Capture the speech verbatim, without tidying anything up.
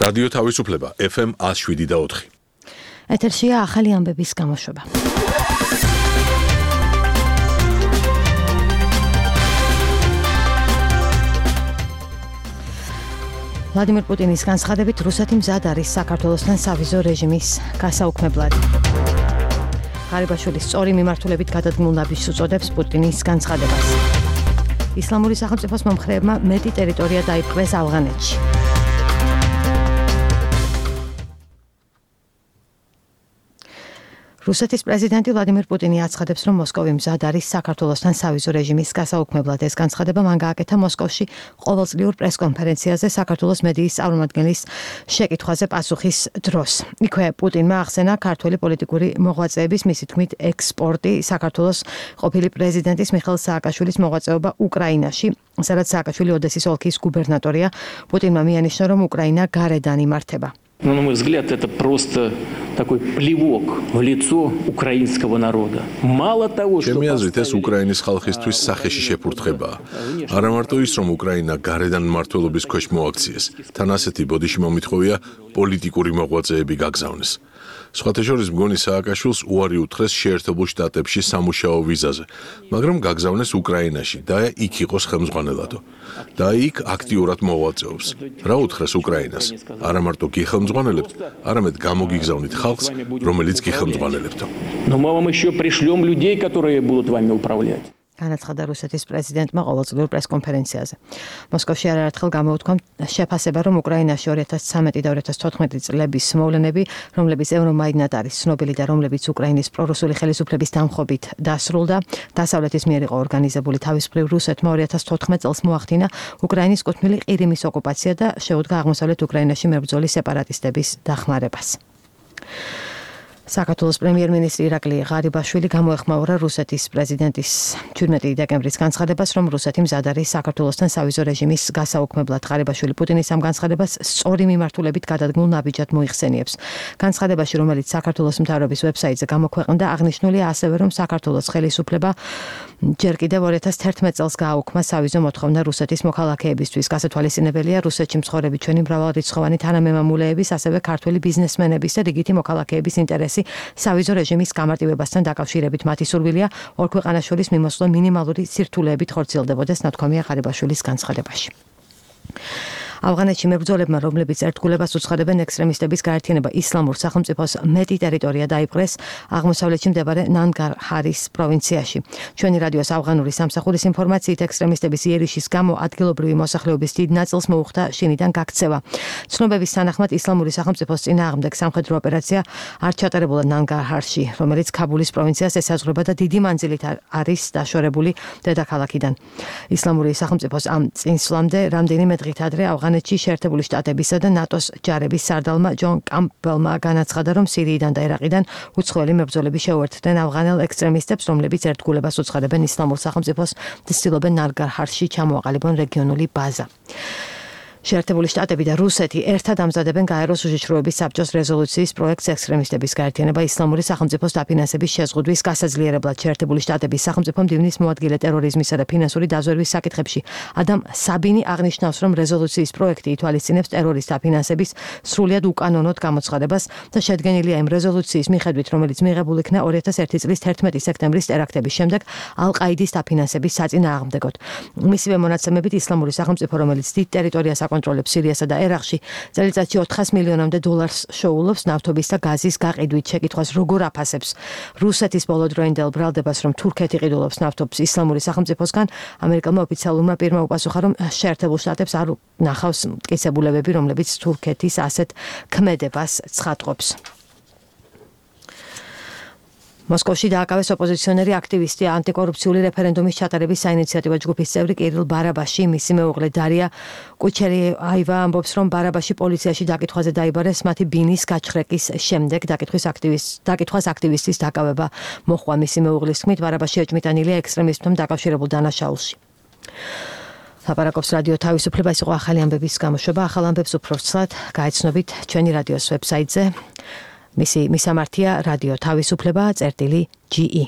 რადიო თავისუფლება ეფ ემ one oh seven და four. ეთერშია ახალი ამბების გამოშვება. ვლადიმერ პუტინის განცხადებით რუსეთი მზად არის საქართველოსთან სავიზო რეჟიმის გასაუქმებლად. ღარიბაშვილის სწორი მიმართულებით გადადგმულ ნაბიჯს უწოდებს პუტინის განცხადებას. ისლამური სახელმწიფოს მომხრეებმა მეტი ტერიტორია დაიპყრეს ავღანეთში. რუსეთის პრეზიდენტი ვლადიმერ პუტინი აცხადებს, რომ მოსკოვი მზად არის საქართველოსთან სავიზო რეჟიმის გასაუქმებლად. ეს განცხადება მან გააკეთა მოსკოვში ყოველწლიურ პრესკონფერენციაზე საქართველოს მედიის წარმომადგენლის შეკითხვაზე პასუხის დროს. იქვე პუტინმა ახსენა ქართველი პოლიტიკური მოღვაწეების, მისი თქმით, ექსპორტი, საქართველოს ყოფილი პრეზიდენტის მიხეილ სააკაშვილის მოღვაწეობა უკრაინაში, სადაც სააკაშვილი ოდესის ოლქის გუბერნატორია. პუტინმა მიანიშნა, რომ უკრაინა გარედან იმართება. Но, на мой взгляд, это просто такой плевок в лицо украинского народа. Мало того, что... ჩემი აზრით, ეს უკრაინის ხალხისთვის სახეში შეფურთხებაა. არა მარტო ის, რომ უკრაინა გარედან მმართველობის ქვეშ მოაქციეს, თან ასეთი ბოდიში მომითხოვია პოლიტიკური მოღვაწეები გაგზავნეს. სხვათა შორის მგონი სააკაშვილს უარი უთხრეს შეერთებულ შტატებში სამუშაო ვიზაზე, მაგრამ გაგზავნეს უკრაინაში და იქ იყოს ხელმძღვანელადო. და იქ აქტიურად მოღვაწეობს. რა უთხრეს უკრაინას? არა მარტო გიხელმძღვანელებთ, არამედ გამოგიგზავნით ხალხს, რომელიც გიხელმძღვანელებთო. Но мы вам еще пришлем людей, которые будут вами управлять. განაცხადა რუსეთის პრეზიდენტმა ყოველწლიურ პრესკონფერენციაზე. მოსკოვში არაერთხელ გამოუთქვა შეფასება, რომ უკრაინაში two thousand thirteen და two thousand fourteen წლების მოვლენები, რომლებიც ევრომაიდნად არის ცნობილი და რომლებიც უკრაინის პრორუსული ხელისუფლების დამხობით დასრულდა, დასავლეთის მიერ იყო ორგანიზებული. თავისუფლ რუსეთმა two thousand fourteen წელს მოახდინა უკრაინის კუთვნილი ყირიმის ოკუპაცია და შეუდგა აღმოსავლეთ უკრაინაში მებრძოლი სეპარატისტების დახმარებას. საქართველოს პრემიერ-მინისტრი ირაკლი ღარიბაშვილი გამოეხმაურა რუსეთის პრეზიდენტის seventeen დეკემბრის განცხადებას, რომ რუსეთი მზად არის საქართველოსთან სავიზო რეჟიმის გასაუქმებლად. ღარიბაშვილი პუტინის ამ განცხადებას სწორი მიმართულებით გადადგმულ ნაბიჯად მოიხსენიებს. განცხადებაში, რომელიც საქართველოს მთავრობის ვებსაიტზე გამოქვეყნდა, აღნიშნულია ასევე, რომ საქართველოს ხელისუფლება ჯერ კიდევ two thousand eleven წელს გააუქმა სავიზო მოთხოვნა რუსეთის მოქალაქეებისთვის. გასათვალისწინებელია რუსეთში მცხოვრები ჩვენი მრავალრიცხოვანი თანამემამულეების, ასევე ქართველი ბიზნესმენების და რიგითი მოქალაქეების ინტერესი სავიზო რეჟიმის გამარტივებასთან დაკავშირებით. მათი სურვილია ორ ქვეყანას შორის მიმოსვლა მინიმალური სირთულეებით ხორციელდებოდეს, ნათქვამია ღარიბაშვილის განცხადებაში. ავღანეთში მებრძოლებმა, რომლებიც ერთგულებას უცხადებენ ექსტრემისტების გაერთიანება ისლამურ სახელმწიფოს მეტი ტერიტორია დაიპყრეს აღმოსავლეთში მდებარე ნანგარჰარის პროვინციაში. ჩვენი რადიოს ავღანური სამსახურის ინფორმაციით, ექსტრემისტების იერიშის გამო ადგილობრივი მოსახლეობის დიდ ნაწილს მოუხდა შინიდან გაქცევა. ცნობების თანახმად ისლამური სახელმწიფოს წინააღმდეგ სამხედრო ოპერაცია არ ჩატარებულა ნანგარჰარში, რომელიც ქაბულის პროვინციას ესაზღვრება და დიდი მანძილით არის დაშორებული დედაქალაქიდან. ისლამური სახელმწიფოს ამ წინსვლამდე რამდენიმე დღით ადრე ავღანეთში შეერთებული შტატებისა და ნატოს ჯარების სარდალმა ჯონ კამპბელმა განაცხადა, რომ სირიიდან და ერაყიდან უცხოელი მებრძოლები შეუერთდნენ ავღანელ ექსტრემისტებს, რომლებიც ერთგულებას უცხადებენ ისლამურ სახელმწიფოს და ცდილობენ ნანგარჰარში ჩამოაყალიბონ რეგიონული ბაზა. შეერთებული შტატები და რუსეთი ერთად ამზადებენ გაეროს უშიშროების საბჭოს რეზოლუციის პროექტს ექსტრემისტების გაერთიანება ისლამური სახელმწიფოს დაფინანსების შეზღუდვის გასაძლიერებლად. შეერთებული შტატების სახელმწიფო მდივნის მოადგილე ტერორიზმისა და ფინანსური დაზვერვის საკითხებში ადამ საბინი აღნიშნავს, რომ რეზოლუციის პროექტი ითვალისწინებს ტერორის დაფინანსების სრულიად უკანონოდ გამოცხადებას და შედგენილია იმ რეზოლუციის მიხედვით, რომელიც მიღებულ იქნა two thousand one წლის thirteen სექტემბრის ტერაქტების შემდეგ ალ-ყაიდის დაფინანსების საწინააღმდეგოდ. მისივე მონაცემებით ისლამური სახელმწიფო, რომელიც დიდ ტერიტორიას აკონტროლებს სირიასა და ერაყში, წელიწადში four hundred მილიონამდე დოლარს შოულობს ნავთობის და გაზის გაყიდვით. შეკითხვას როგორ აფასებს რუსეთის ბოლოდროინდელ ბრალდებას, რომ თურქეთი ყიდულობს ნავთობს ისლამური სახელმწიფოსგან, ამერიკელმა ოფიციალურმა პირმა უპასუხა, რომ შეერთებულ შტატებს არ ნახავს მტკიცებულებები, რომლებიც თურქეთის ასეთ ქმედებას ცხადყოფს. მოსკოვში დააკავეს ოპოზიციონერი აქტივისტი ანტიკორუფციული რეფერენდუმის ჩატარების საინიციატივო ჯგუფის წევრი კირილ ბარაბაში. მისი მეუღლე დარია კუჩერიაევა ამბობს, რომ ბარაბაში პოლიციაში დაკითხვაზე დაიბარეს მათი ბინის გაჩხრეკის შემდეგ. დაკითხვის აქტივისტ დაკითხვას აქტივისტის დაკავება მოჰყვა. მისი მეუღლის თქმით, ბარაბაში ეჭმიტანილია ექსტრემისტებთან დაკავშირებულ დანაშაულში. ლაპარაკობს რადიო თავისუფლება. ეს იყო ახალი ამბების გამოშვება. ახალ ამბებს უფრო ცვლად გაეცნობით ჩვენი რადიოს ვებსაიტზე. მისი მისამართია რადიო თავისუფლება წერტილი ჯი ი.